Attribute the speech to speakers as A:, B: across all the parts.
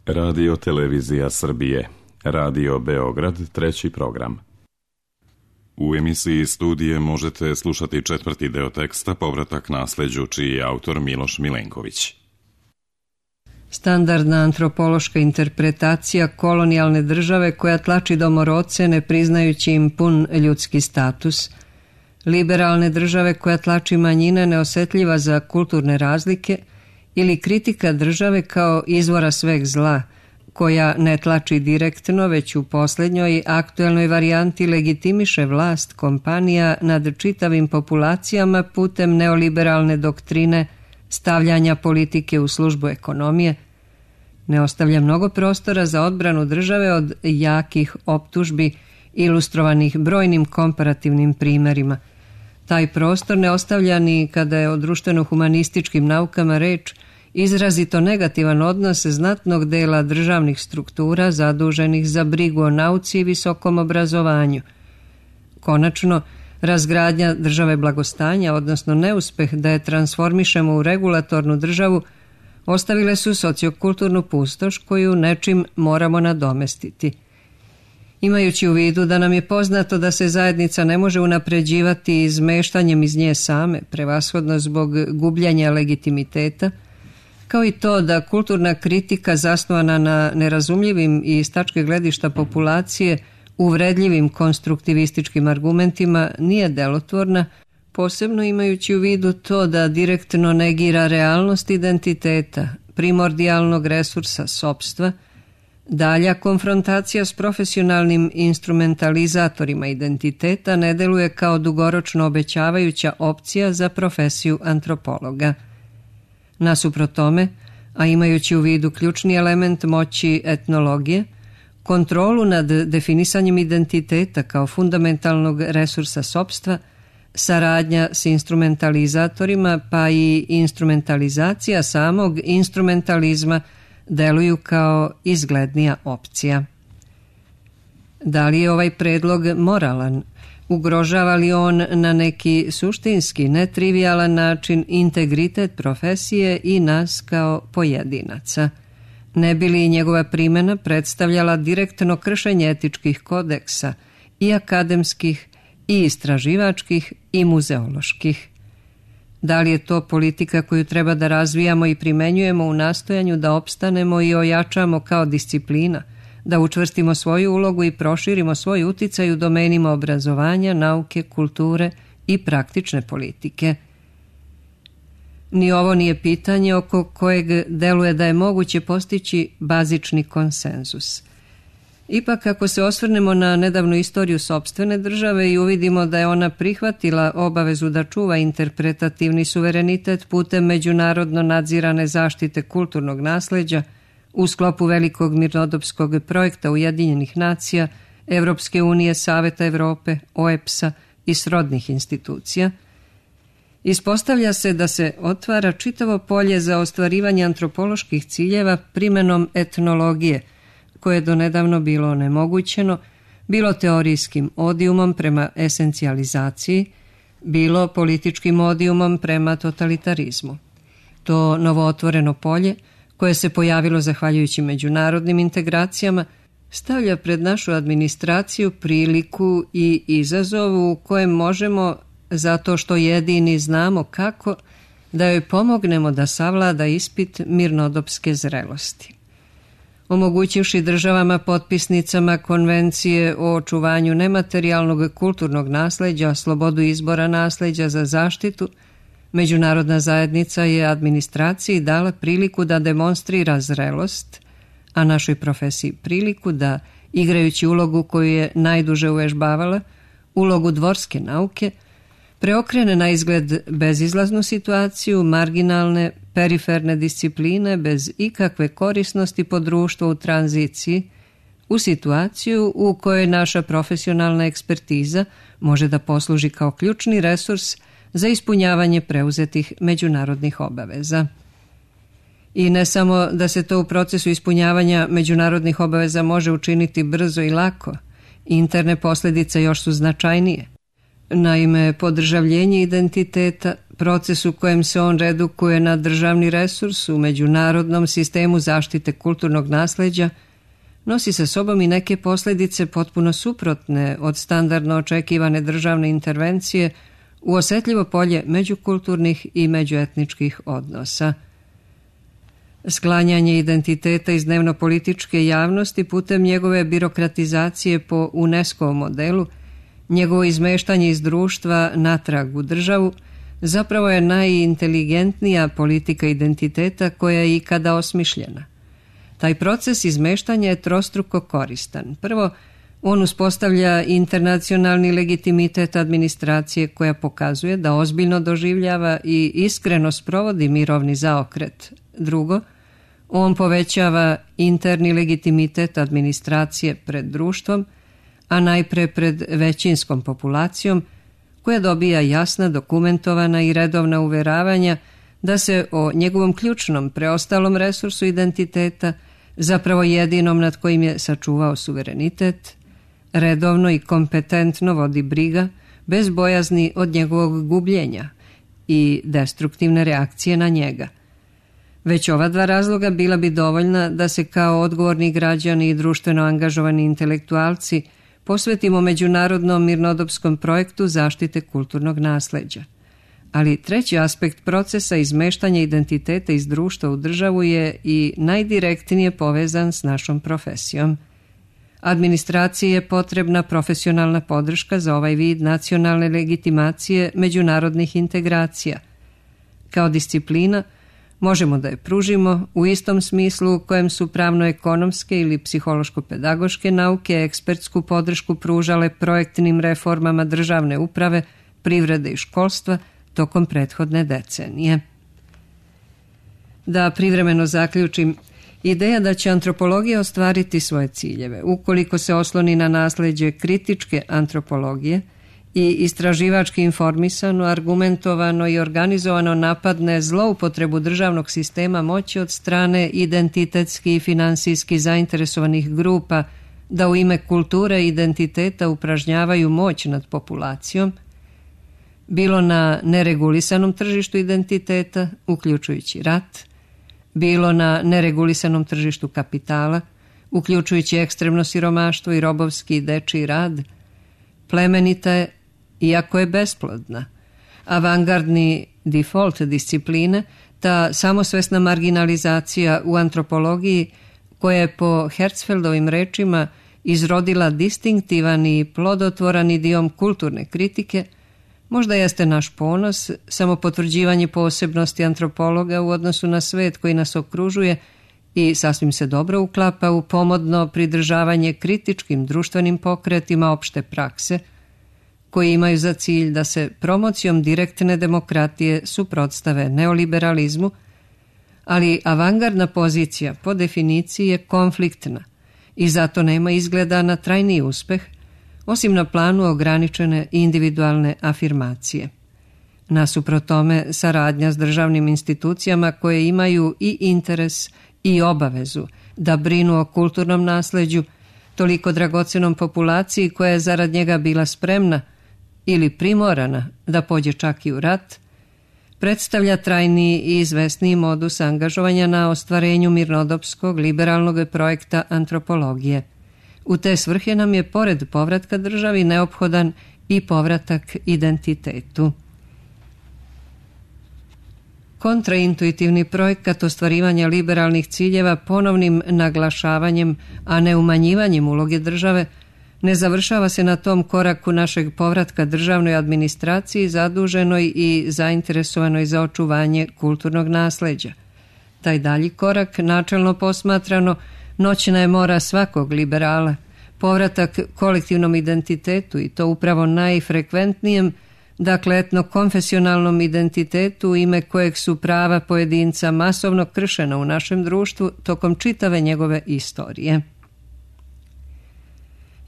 A: Radio Televizija Srbije, Radio Beograd, 3. program. U emisiji Studije možete slušati 4. deo teksta Povratak nasleđu, čiji je autor Miloš Milenković.
B: Standardna antropološka interpretacija kolonijalne države koja tlači domorodce ne priznajući im pun ljudski status, liberalne države koja tlači manjine neosetljiva za kulturne razlike ili kritika države kao izvora sveg zla, koja ne tlači direktno, već u posljednjoj aktuelnoj varijanti legitimiše vlast kompanija nad čitavim populacijama putem neoliberalne doktrine stavljanja politike u službu ekonomije, ne ostavlja mnogo prostora za odbranu države od jakih optužbi ilustrovanih brojnim komparativnim primjerima. Taj prostor ne ostavlja ni kada je o društveno-humanističkim naukama reč, izrazito negativan odnos znatnog dela državnih struktura zaduženih za brigu o nauci i visokom obrazovanju. Konačno, razgradnja države blagostanja, odnosno neuspeh da je transformišemo u regulatornu državu, ostavile su sociokulturnu pustoš koju nečim moramo nadomestiti. Imajući u vidu da nam je poznato da se zajednica ne može unapređivati izmeštanjem iz nje same, prevashodno zbog gubljenja legitimiteta, kao i to da kulturna kritika zasnovana na nerazumljivim i iz tačke gledišta populacije uvredljivim konstruktivističkim argumentima nije delotvorna, posebno imajući u vidu to da direktno negira realnost identiteta, primordijalnog resursa sopstva, dalja konfrontacija s profesionalnim instrumentalizatorima identiteta ne deluje kao dugoročno obećavajuća opcija za profesiju antropologa. Nasuprot tome, a imajući u vidu ključni element moći etnologije, kontrolu nad definisanjem identiteta kao fundamentalnog resursa sopstva, saradnja s instrumentalizatorima pa i instrumentalizacija samog instrumentalizma deluju kao izglednija opcija. Da li je ovaj predlog moralan? Ugrožava li on na neki suštinski, netrivijalan način integritet profesije i nas kao pojedinaca? Ne bi li njegova primjena predstavljala direktno kršenje etičkih kodeksa i akademskih, i istraživačkih, i muzeoloških? Da li je to politika koju treba da razvijamo i primenjujemo u nastojanju da opstanemo i ojačamo kao disciplina, da učvrstimo svoju ulogu i proširimo svoj uticaj u domenima obrazovanja, nauke, kulture i praktične politike? Ni ovo nije pitanje oko kojeg deluje da je moguće postići bazični konsenzus. Ipak, ako se osvrnemo na nedavnu istoriju sopstvene države i uvidimo da je ona prihvatila obavezu da čuva interpretativni suverenitet putem međunarodno nadzirane zaštite kulturnog nasleđa u sklopu velikog mirnodopskog projekta Ujedinjenih nacija, Evropske unije, Saveta Evrope, OEBS-a i srodnih institucija, ispostavlja se da se otvara čitavo polje za ostvarivanje antropoloških ciljeva primenom etnologije, koje je donedavno bilo onemogućeno, bilo teorijskim odijumom prema esencijalizaciji, bilo političkim odijumom prema totalitarizmu. To novootvoreno polje, koje se pojavilo zahvaljujući međunarodnim integracijama, stavlja pred našu administraciju priliku i izazov u kojem možemo, zato što jedini znamo kako, da joj pomognemo da savlada ispit mirnodopske zrelosti. Omogućivši državama potpisnicama Konvencije o očuvanju nematerijalnog kulturnog nasleđa, slobodu izbora nasleđa za zaštitu, međunarodna zajednica je administraciji dala priliku da demonstrira zrelost, a našoj profesiji priliku da, igrajući ulogu koju je najduže uvežbavala, ulogu dvorske nauke, preokrene na izgled bezizlaznu situaciju, marginalne, periferne discipline bez ikakve korisnosti po društvu u tranziciji, u situaciju u kojoj naša profesionalna ekspertiza može da posluži kao ključni resurs za ispunjavanje preuzetih međunarodnih obaveza. I ne samo da se to u procesu ispunjavanja međunarodnih obaveza može učiniti brzo i lako, interne posljedice još su značajnije. Naime, podržavljenje identiteta, proces u kojem se on redukuje na državni resurs u međunarodnom sistemu zaštite kulturnog nasleđa, nosi sa sobom i neke posljedice potpuno suprotne od standardno očekivane državne intervencije u osjetljivo polje međukulturnih i međuetničkih odnosa. Sklanjanje identiteta iz dnevno-političke javnosti putem njegove birokratizacije po UNESCO-vom modelu, njegovo izmeštanje iz društva natrag u državu, zapravo je najinteligentnija politika identiteta koja je ikada osmišljena. Taj proces izmeštanja je trostruko koristan. Prvo, on uspostavlja internacionalni legitimitet administracije koja pokazuje da ozbiljno doživljava i iskreno sprovodi mirovni zaokret. Drugo, on povećava interni legitimitet administracije pred društvom, a najpre pred većinskom populacijom, koja dobija jasna, dokumentovana i redovna uveravanja da se o njegovom ključnom preostalom resursu identiteta, zapravo jedinom nad kojim je sačuvao suverenitet, redovno i kompetentno vodi briga, bez bojazni od njegovog gubljenja i destruktivne reakcije na njega. Već ova dva razloga bila bi dovoljna da se kao odgovorni građani i društveno angažovani intelektualci posvetimo međunarodnom mirnodopskom projektu zaštite kulturnog nasleđa. Ali treći aspekt procesa izmeštanja identiteta iz društva u državu je i najdirektnije povezan s našom profesijom. Administraciji je potrebna profesionalna podrška za ovaj vid nacionalne legitimacije međunarodnih integracija. Kao disciplina možemo da je pružimo u istom smislu u kojem su pravno-ekonomske ili psihološko-pedagoške nauke ekspertsku podršku pružale projektnim reformama državne uprave, privrede i školstva tokom prethodne decenije. Da privremeno zaključim, ideja da će antropologija ostvariti svoje ciljeve ukoliko se osloni na nasleđe kritičke antropologije i istraživački informisano, argumentovano i organizovano napadne zloupotrebu državnog sistema moći od strane identitetski i finansijski zainteresovanih grupa da u ime kulture i identiteta upražnjavaju moć nad populacijom, bilo na neregulisanom tržištu identiteta, uključujući rat, bilo na neregulisanom tržištu kapitala, uključujući ekstremno siromaštvo i robovski i dečiji rad, plemenita je, iako je besplodna. Avangardni default discipline, ta samosvesna marginalizacija u antropologiji, koja je po Herzfeldovim rečima izrodila distinktivan i plodotvoran idiom kulturne kritike, možda jeste naš ponos, samo potvrđivanje posebnosti antropologa u odnosu na svet koji nas okružuje i sasvim se dobro uklapa u pomodno pridržavanje kritičkim društvenim pokretima opšte prakse, koji imaju za cilj da se promocijom direktne demokratije suprotstave neoliberalizmu, ali avangardna pozicija po definiciji je konfliktna i zato nema izgleda na trajni uspeh, osim na planu ograničene individualne afirmacije. Nasuprot tome, saradnja s državnim institucijama koje imaju i interes i obavezu da brinu o kulturnom nasleđu, toliko dragocenom populaciji koja je zarad njega bila spremna ili primorana da pođe čak i u rat, predstavlja trajni i izvesniji modus angažovanja na ostvarenju mirnodopskog liberalnog projekta antropologije. U te svrhe nam je pored povratka državi neophodan i povratak identitetu. Kontraintuitivni projekat ostvarivanja liberalnih ciljeva ponovnim naglašavanjem, a ne umanjivanjem uloge države, ne završava se na tom koraku našeg povratka državnoj administraciji zaduženoj i zainteresovanoj za očuvanje kulturnog nasleđa. Taj dalji korak, načelno posmatrano, noćna je mora svakog liberala, povratak kolektivnom identitetu i to upravo najfrekventnijem, dakle etnokonfesionalnom identitetu u ime kojeg su prava pojedinca masovno kršena u našem društvu tokom čitave njegove istorije.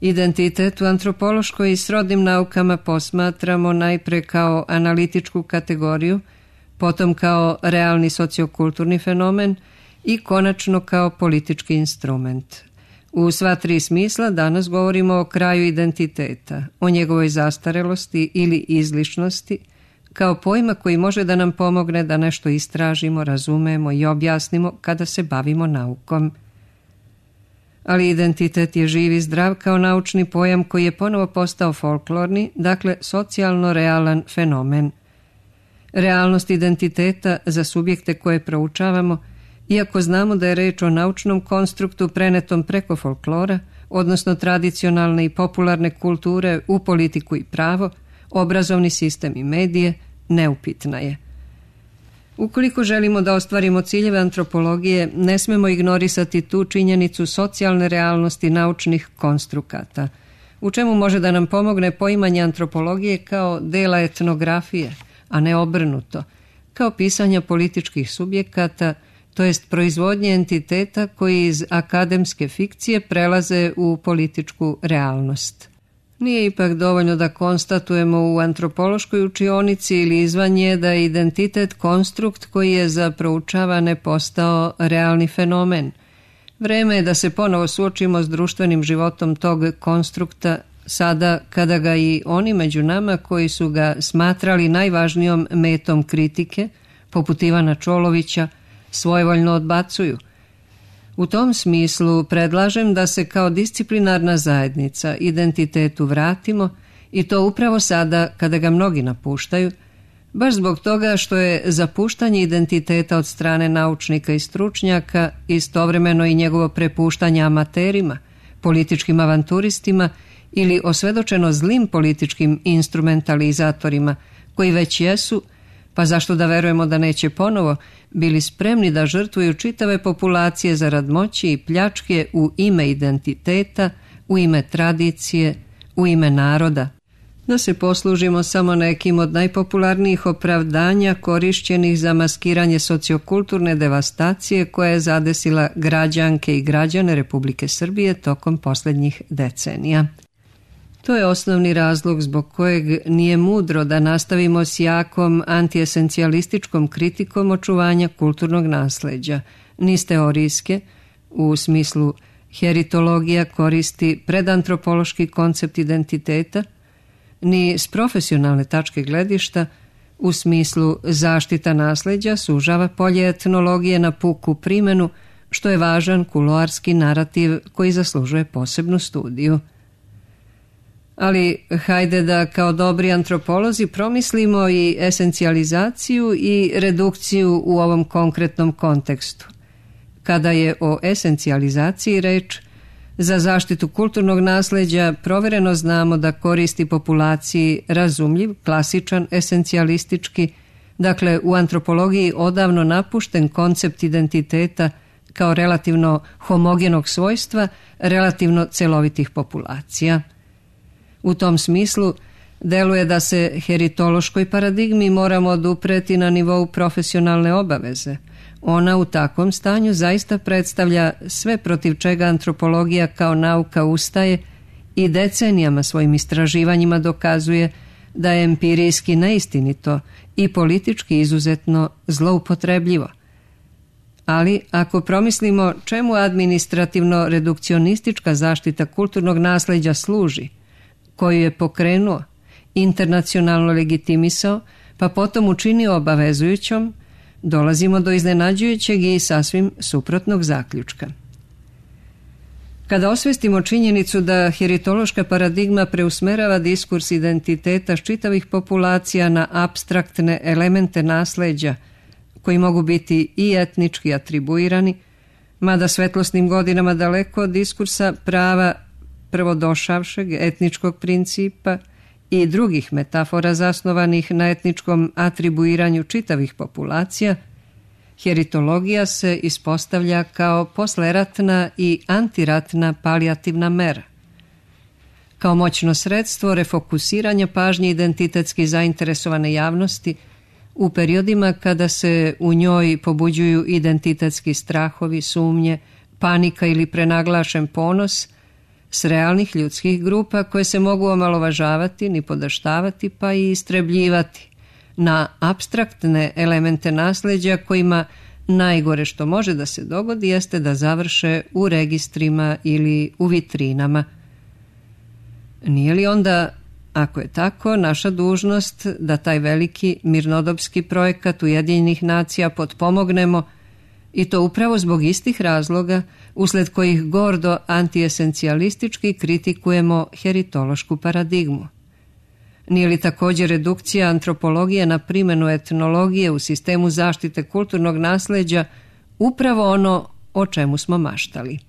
B: Identitet u antropološkoj i srodnim naukama posmatramo najpre kao analitičku kategoriju, potom kao realni sociokulturni fenomen i konačno kao politički instrument. U sva tri smisla danas govorimo o kraju identiteta, o njegovoj zastarelosti ili izlišnosti, kao pojma koji može da nam pomogne da nešto istražimo, razumemo i objasnimo kada se bavimo naukom. Ali identitet je živ i zdrav kao naučni pojam koji je ponovo postao folklorni, dakle socijalno realan fenomen. Realnost identiteta za subjekte koje proučavamo, iako znamo da je reč o naučnom konstruktu prenetom preko folklora, odnosno tradicionalne i popularne kulture u politiku i pravo, obrazovni sistem i medije, neupitna je. Ukoliko želimo da ostvarimo ciljeve antropologije, ne smemo ignorisati tu činjenicu socijalne realnosti naučnih konstrukata, u čemu može da nam pomogne poimanje antropologije kao dela etnografije, a ne obrnuto, kao pisanja političkih subjekata, to jest proizvodnje entiteta koji iz akademske fikcije prelaze u političku realnost. Nije ipak dovoljno da konstatujemo u antropološkoj učionici ili izvan nje da je identitet konstrukt koji je za proučavane postao realni fenomen. Vreme je da se ponovo suočimo s društvenim životom tog konstrukta, sada kada ga i oni među nama koji su ga smatrali najvažnijom metom kritike, poput Ivana Čolovića, svojevoljno odbacuju. U tom smislu predlažem da se kao disciplinarna zajednica identitetu vratimo i to upravo sada kada ga mnogi napuštaju, baš zbog toga što je zapuštanje identiteta od strane naučnika i stručnjaka istovremeno i njegovo prepuštanje amaterima, političkim avanturistima ili osvedočeno zlim političkim instrumentalizatorima koji već jesu, pa zašto da verujemo da neće ponovo, bili spremni da žrtvuju čitave populacije zarad moći i pljačke u ime identiteta, u ime tradicije, u ime naroda. Da se poslužimo samo nekim od najpopularnijih opravdanja korišćenih za maskiranje sociokulturne devastacije koja je zadesila građanke i građane Republike Srbije tokom posljednjih decenija. To je osnovni razlog zbog kojeg nije mudro da nastavimo s jakom antiesencijalističkom kritikom očuvanja kulturnog nasleđa, ni s teorijske, u smislu heritologija koristi predantropološki koncept identiteta, ni s profesionalne tačke gledišta, u smislu zaštita nasleđa sužava polje etnologije na puku primjenu, što je važan kuloarski narativ koji zaslužuje posebnu studiju. Ali hajde da kao dobri antropolozi promislimo i esencijalizaciju i redukciju u ovom konkretnom kontekstu. Kada je o esencijalizaciji reč, za zaštitu kulturnog nasleđa provereno znamo da koristi populaciji razumljiv, klasičan, esencijalistički, dakle u antropologiji odavno napušten koncept identiteta kao relativno homogenog svojstva, relativno celovitih populacija. U tom smislu, deluje da se heritološkoj paradigmi moramo odupreti na nivou profesionalne obaveze. Ona u takvom stanju zaista predstavlja sve protiv čega antropologija kao nauka ustaje i decenijama svojim istraživanjima dokazuje da je empirijski neistinito i politički izuzetno zloupotrebljivo. Ali ako promislimo čemu administrativno-redukcionistička zaštita kulturnog nasleđa služi, koju je pokrenuo, internacionalno legitimisao, pa potom učinio obavezujućom, dolazimo do iznenađujućeg i sasvim suprotnog zaključka. Kada osvestimo činjenicu da heritološka paradigma preusmerava diskurs identiteta čitavih populacija na apstraktne elemente nasleđa, koji mogu biti i etnički atribuirani, mada svetlosnim godinama daleko od diskursa prava prvodošavšeg etničkog principa i drugih metafora zasnovanih na etničkom atribuiranju čitavih populacija, heritologija se ispostavlja kao posleratna i antiratna palijativna mera. Kao moćno sredstvo refokusiranja pažnje identitetski zainteresovane javnosti u periodima kada se u njoj pobuđuju identitetski strahovi, sumnje, panika ili prenaglašen ponos s realnih ljudskih grupa koje se mogu omalovažavati, nipodaštavati pa i istrebljivati na apstraktne elemente nasleđa kojima najgore što može da se dogodi jeste da završe u registrima ili u vitrinama. Nije li onda Ako je tako, naša dužnost da taj veliki mirnodopski projekat Ujedinjenih nacija potpomognemo, i to upravo zbog istih razloga usled kojih gordo antiesencijalistički kritikujemo heritološku paradigmu. Nije li također redukcija antropologije na primjenu etnologije u sistemu zaštite kulturnog nasleđa upravo ono o čemu smo maštali?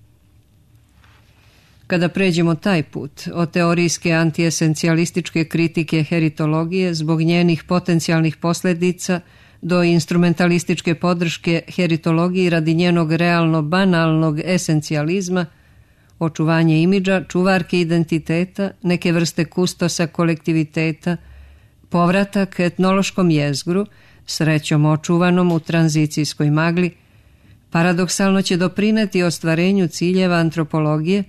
B: Kada pređemo taj put od teorijske antiesencijalističke kritike heritologije zbog njenih potencijalnih posljedica do instrumentalističke podrške heritologiji radi njenog realno banalnog esencijalizma, očuvanje imidža, čuvarke identiteta, neke vrste kustosa kolektiviteta, povratak etnološkom jezgru, srećom očuvanom u tranzicijskoj magli, paradoksalno će doprineti ostvarenju ciljeva antropologije,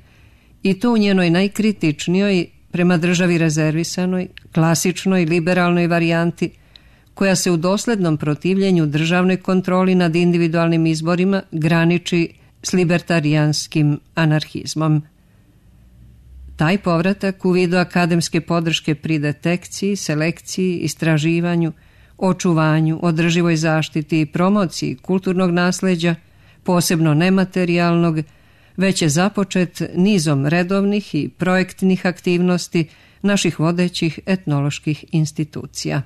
B: i to u njenoj najkritičnijoj, prema državi rezervisanoj, klasičnoj, liberalnoj varijanti, koja se u doslednom protivljenju državnoj kontroli nad individualnim izborima graniči s libertarijanskim anarhizmom. Taj povratak u vidu akademske podrške pri detekciji, selekciji, istraživanju, očuvanju, održivoj zaštiti i promociji kulturnog nasleđa, posebno nematerijalnog, već je započet nizom redovnih i projektnih aktivnosti naših vodećih etnoloških institucija.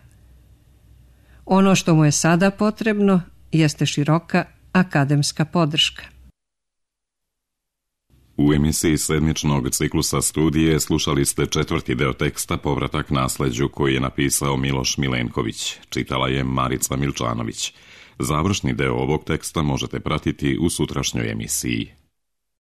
B: Ono što mu je sada potrebno jeste široka akademska podrška.
A: U emisiji sedmičnog ciklusa studije slušali ste 4. deo teksta Povratak nasleđu koji je napisao Miloš Milenković. Čitala je Marica Milčanović. Završni deo ovog teksta možete pratiti u sutrašnjoj emisiji.